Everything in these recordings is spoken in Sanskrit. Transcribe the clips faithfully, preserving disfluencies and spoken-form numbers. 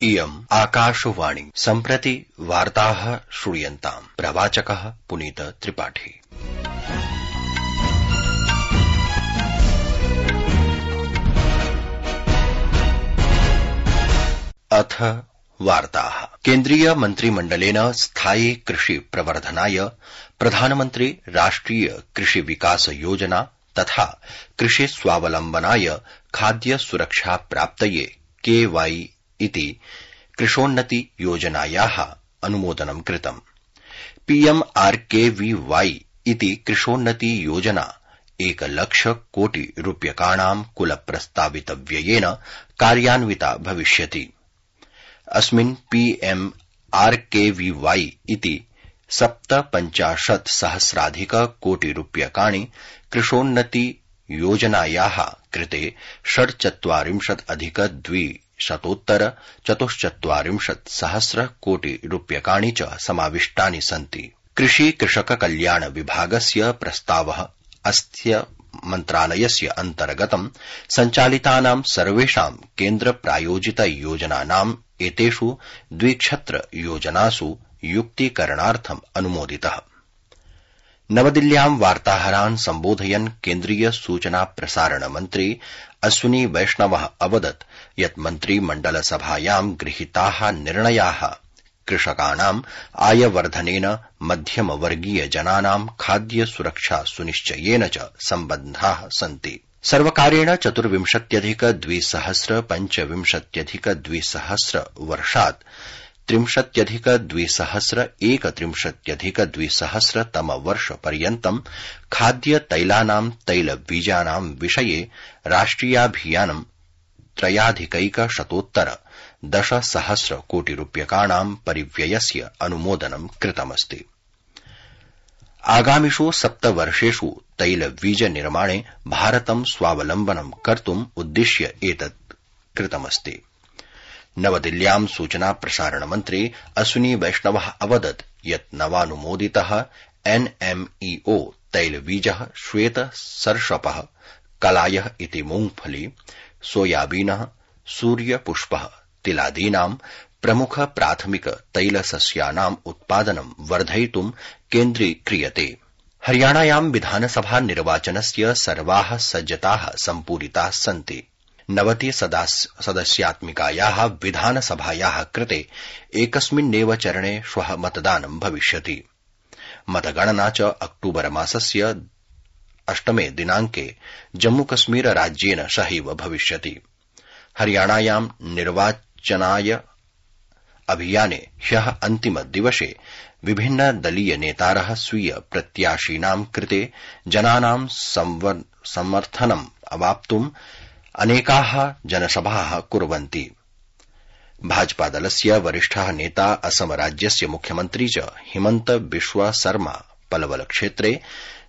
इयम् आकाशवाणी सम्प्रति वार्ताः श्रूयन्ताम्। प्रवाचकः पुनीत त्रिपाठी। अथ वार्ताः। केन्द्रीय मन्त्रिमण्डलेन स्थायी कृषि प्रवर्धनाय प्रधानमन्त्री राष्ट्रिय कृषि विकास योजना तथा कृषि स्वावलम्बनाय खाद्य सुरक्षा प्राप्तये के वाई इति कृषोन्नति योजनायाः अनुमोदनं कृतम्। पीएम आरकेवीवाई इति कृषोन्नति योजना एकलक्ष कोटि रूप्यकाणां कुल प्रस्तावित व्ययेन कार्यान्विता भविष्यति। अस्मिन् पीएम आरकेवीवाई इति सप्तपञ्चाशत् सहस्राधिक कोटि रूप्यकाणि कृषोन्नति योजनायाः कृते षड्चत्वारिंशत् अधिक द्विशतोत्तर चतुश्चत्वारिंशत् सहस्र कोटि रूप्यकाणि च समाविष्टानि सन्ति। कृषि कृषक कल्याण विभागस्य प्रस्तावः अस्य मन्त्रालयस्य अन्तर्गतं सञ्चालितानां सर्वेषां केन्द्र प्रायोजित योजनानाम् एतेषु द्विक्षत्र योजनासु युक्तीकरणार्थम् अनुमोदितः। नवदिल्ल्यां वार्ताहरान् सम्बोधयन् केन्द्रीय सूचना प्रसारण मन्त्री अश्विनी वैष्णवः अवदत् यत् मन्त्रिमण्डलसभायां गृहीताः निर्णयाः कृषकाणाम् आयवर्धनेन मध्यमवर्गीय जनानां खाद्य सुरक्षा सुनिश्चयेन च सम्बद्धाः सन्ति। सर्वकारेण चतुर्विंशत्यधिक द्विसहस्र पञ्चविंशत्यधिक द्विसहस्र वर्षात् त्रिंशत्यधिक द्विसहस्र एकत्रिंशत्यधिक द्विसहस्र तम वर्ष पर्यन्तं खाद्य तैलानां तैलबीजानां विषये राष्ट्रियाभियानं त्रयाधिकैक शतोत्तर दशसहस्र कोटि रूप्यकाणां परिव्ययस्य अनुमोदनं कृतमस्ति। आगामिषु सप्तवर्षेषु तैलबीज निर्माणे भारतं स्वावलम्बनं कर्तुम् उद्दिश्य एतत् कृतमस्ति। नवदिल्ल्यां सूचना प्रसारण मन्त्री अश्विनी वैष्णवः अवदत् यत् नवानुमोदितः एनएमईओ तैलबीजः श्वेत सर्षपः कलायः इति मूंगफली सोयाबीनः सूर्यपुष्पः तिलादीनां प्रमुख प्राथमिक तैलसस्यानाम् उत्पादनं वर्धयितुं केन्द्रीक्रियते। हरियाणायां विधानसभा निर्वाचनस्य सर्वाः सज्जताः सम्पूरिताः सन्ति। नवति सदस्यात्मिकायाः विधानसभायाः कृते एकस्मिन्नेव चरणे श्वः मतदानं भविष्यति। मतगणना च अक्टूबर मासस्य अष्टमे दिनाङ्के जम्मूकश्मीर राज्येन सहैव भविष्यति। हरियाणायां निर्वाचनाय अभियाने ह्यः अन्तिम दिवसे विभिन्न दलीय नेतारः स्वीय प्रत्याशीनां कृते जनानां समर्थनम् अवाप्तुम् अनेकाः जनसभाः कुर्वन्ति। भाजपादलस्य वरिष्ठः नेता असम राज्यस्य मुख्यमन्त्री च हिमन्त बिश्व शर्मा पलवल क्षेत्रे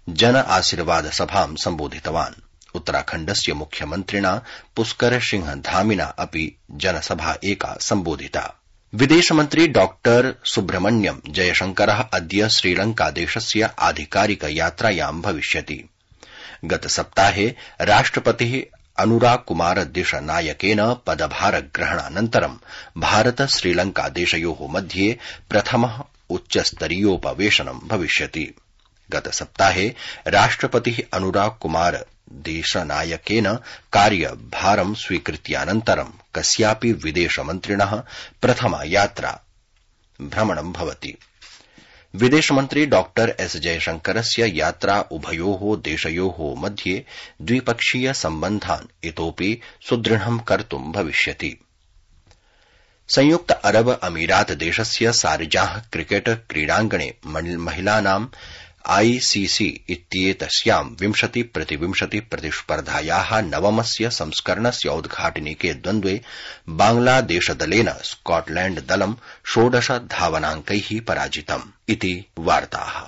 जन आशीर्वाद सभां सम्बोधितवान्। उत्तराखण्डस्य मुख्यमन्त्रिणा पुष्कर सिंह धामिना अपि जनसभा एका सम्बोधिता। विदेशमन्त्री डॉक्टर सुब्रह्मण्यम जयशंकरः अद्य श्रीलंकादेशस्य आधिकारिक यात्रायां भविष्यति। गतसप्ताहे राष्ट्रपतिः अनुराग कुमार दिशनायकेन पदभारग्रहणानन्तरं भारत श्रीलंका देशयोः मध्ये प्रथमः उच्चस्तरीयोपवेशनं भविष्यति। गतसप्ताहे राष्ट्रपतिः अनुराग कुमार देशनायकेन कार्यभारं स्वीकृत्यानन्तरं कस्यापि विदेशमन्त्रिणः प्रथमा यात्रा भ्रमणं भवति। विदेशमन्त्री डॉक्टर एस जयशंकरस्य यात्रा उभयोः देशयोः मध्ये द्विपक्षीय सम्बन्धान् इतोपि सुदृढं कर्तुं भविष्यति। संयुक्त अरब अमीरात देशस्य शारजाह क्रिकेट क्रीडाङ्गणे महिलानां आईसीसी इत्येतस्यां विंशति प्रतिविंशति प्रतिस्पर्धायाः नवमस्य संस्करणस्य उद्घाटनिके द्वन्द्वे बांग्लादेशदलेन स्कॉटलैण्ड दलं षोडश धावनाङ्कैः पराजितम् इति वार्ताः।